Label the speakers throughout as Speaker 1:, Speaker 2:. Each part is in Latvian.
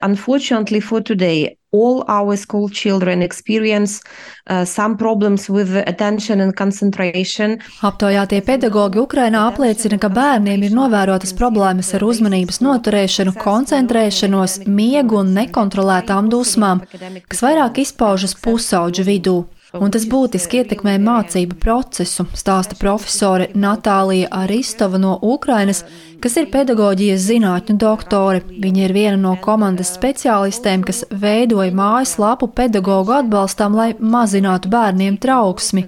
Speaker 1: Unfortunately for today, all our school children experience some problems with attention and concentration.
Speaker 2: Aptaujātie pedagogi Ukrainā apliecina, ka bērniem ir novērotas problēmas ar uzmanības noturēšanu, koncentrēšanos, miegu un nekontrolētām dusmām, kas vairāk izpaužas pusauģu vidū. Un tas būtiski ietekmē mācību procesu, stāsta profesore Natālija Aristova no Ukrainas, kas ir pedagoģijas zinātņu doktore. Viņa ir viena no komandas speciālistēm, kas veidoja mājaslapu pedagogu atbalstam, lai mazinātu bērniem trauksmi.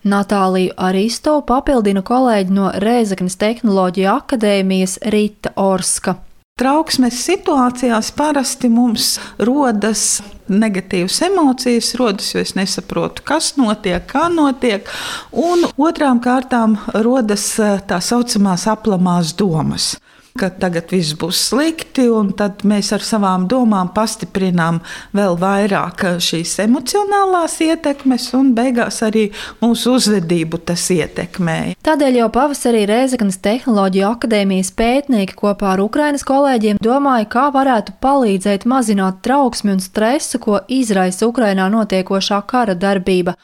Speaker 2: Natāliju Aristovu papildina kolēģi no Rēzeknes Tehnoloģiju akadēmijas Rita Orska.
Speaker 3: Trauksmes situācijās parasti mums rodas negatīvas emocijas, jo es nesaprotu, kas notiek, kā notiek, un otrām kārtām rodas tā saucamās aplamās domas, ka tagad viss būs slikti, un tad mēs ar savām domām pastiprinām vēl vairāk šīs emocionālās ietekmes, un beigās arī mūsu uzvedību tas ietekmēja.
Speaker 2: Tādēļ jau pavasarī Rēzeknes Tehnoloģiju akadēmijas pētnieki kopā ar Ukrainas kolēģiem domāja, kā varētu palīdzēt mazināt trauksmi un stresu, ko izraisa Ukrainā notiekošā kara darbība.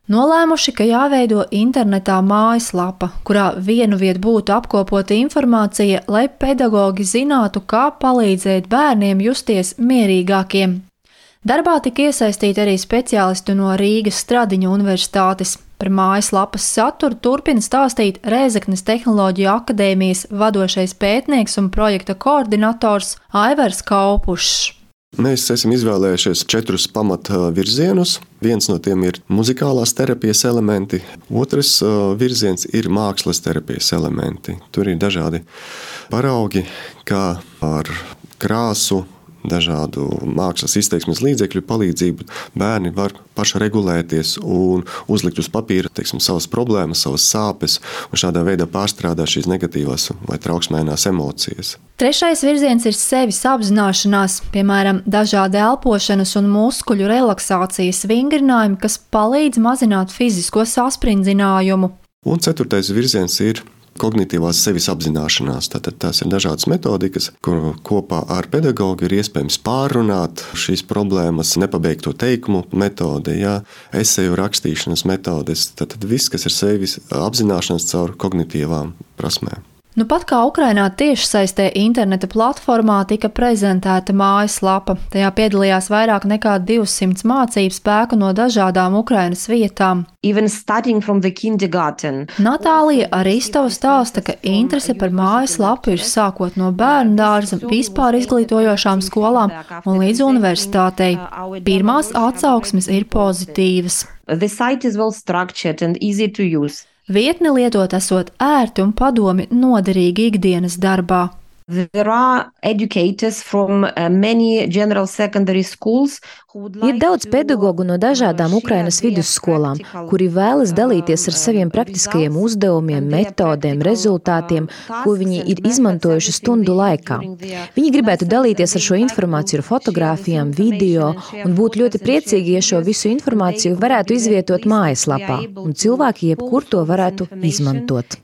Speaker 2: Nolēmuši, ka jāveido internetā mājaslapa, kurā vienu vietu būtu apkopota informācija, lai pedagogi zinātu, kā palīdzēt bērniem justies mierīgākiem. Darbā tika iesaistīti arī speciālisti no Rīgas Stradiņu universitātes. Par mājaslapas saturu turpina stāstīt Rēzeknes Tehnoloģiju akadēmijas vadošais pētnieks un projekta koordinators Aivars Kaupušs.
Speaker 4: Mēs esam izvēlējušies 4 pamatvirzienus. Viens no tiem ir muzikālās terapijas elementi, otrs virziens ir mākslas terapijas elementi. Tur ir dažādi paraugi, kā ar krāsu, dažādu mākslas izteiksmes līdzekļu palīdzību bērni var paši regulēties un uzlikt uz papīra, savas problēmas, savas sāpes un šādā veidā pārstrādāt šīs negatīvās vai trauksmēnās emocijas.
Speaker 2: Trešais virziens ir sevis apzināšanās, piemēram, dažādi elpošanas un muskuļu relaksācijas vingrinājumi, kas palīdz mazināt fizisko sasprindzinājumu.
Speaker 4: Un 4. virziens ir kognitīvās sevis apzināšanās. Tātad tās ir dažādas metodikas, kur kopā ar pedagogu ir iespējams pārrunāt šīs problēmas, nepabeigto teikumu metode, eseju rakstīšanas metodes. Tātad viss, kas ir sevis apzināšanās caur kognitīvām prasmēm.
Speaker 2: Nu pat kā Ukrainā tiešsaistē interneta platformā tika prezentēta mājaslapa. Tajā piedalījās vairāk nekā 200 mācību spēku no dažādām Ukrainas vietām. Natālija Aristova stāsta, ka interese par mājaslapu ir sākot no bērnu dārza, vispār izglītojošām skolām un līdz universitātei. Pirmās atsauksmes ir pozitīvas. Vietne lietot esot ērti un padomi noderīgi ikdienas darbā.
Speaker 5: Ir daudz pedagogu no dažādām Ukrainas vidusskolām, kuri vēlas dalīties ar saviem praktiskajiem uzdevumiem, metodēm, rezultātiem, ko viņi ir izmantojuši stundu laikā. Viņi gribētu dalīties ar šo informāciju ar fotogrāfijām, video un būtu ļoti priecīgi, ja šo visu informāciju varētu izvietot mājaslapā, un cilvēki jebkur to varētu izmantot.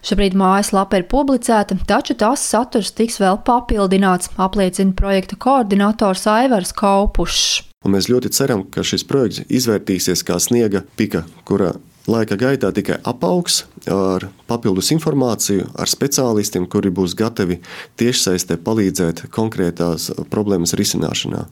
Speaker 2: Šobrīd mājaslapa ir publicēta, taču tās saturs tiks vēl papildināts, apliecina projekta koordinators Aivars Kaupušs.
Speaker 4: Un mēs ļoti ceram, ka šis projekts izvērtīsies kā sniega pika, kura laika gaitā tikai apaugs ar papildus informāciju, ar speciālistiem, kuri būs gatavi tiešsaistē palīdzēt konkrētās problēmas risināšanā.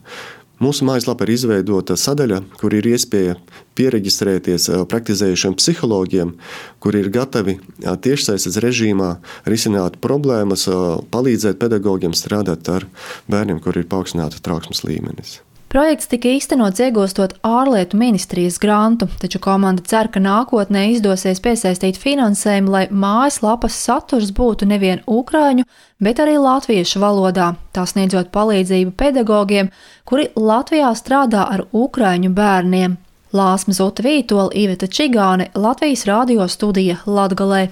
Speaker 4: Mūsu mājaslapā ir izveidota sadaļa, kur ir iespēja pieregistrēties praktizējušiem psihologiem, kuri ir gatavi tiešsaistes režīmā risināt problēmas, palīdzēt pedagogiem strādāt ar bērniem, kuri ir paaugstināta trauksmes līmenis.
Speaker 2: Projekts tika īstenots iegūstot ārlietu ministrijas grantu, taču komanda cer, ka nākotnē izdosies piesaistīt finansējumu, lai mājaslapas saturs būtu nevien ukraiņu, bet arī latviešu valodā, tā sniedzot palīdzību pedagogiem, kuri Latvijā strādā ar ukraiņu bērniem. Lāsma Zuta Vītola, Iveta Čigāne, Latvijas radio studija Latgalē.